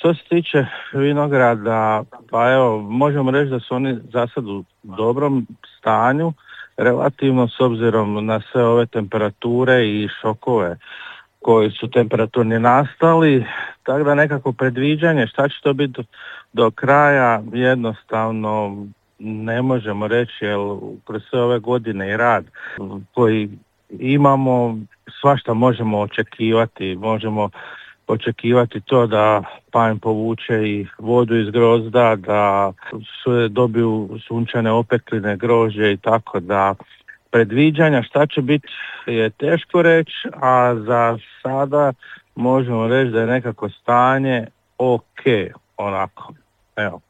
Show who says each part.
Speaker 1: Što se tiče vinograda, pa evo, možemo reći da su oni za sad u dobrom stanju, relativno s obzirom na sve ove temperature i šokove koji su temperaturni nastali, tako da nekako predviđanje šta će to biti do kraja jednostavno ne možemo reći, jer kroz sve ove godine i rad koji imamo, svašta možemo očekivati, možemo očekivati to da panj povuče i vodu iz grozda, da dobiju sunčane opekline, grožđe i tako da predviđanja šta će biti je teško reći, a za sada možemo reći da je nekako stanje ok, onako. Evo.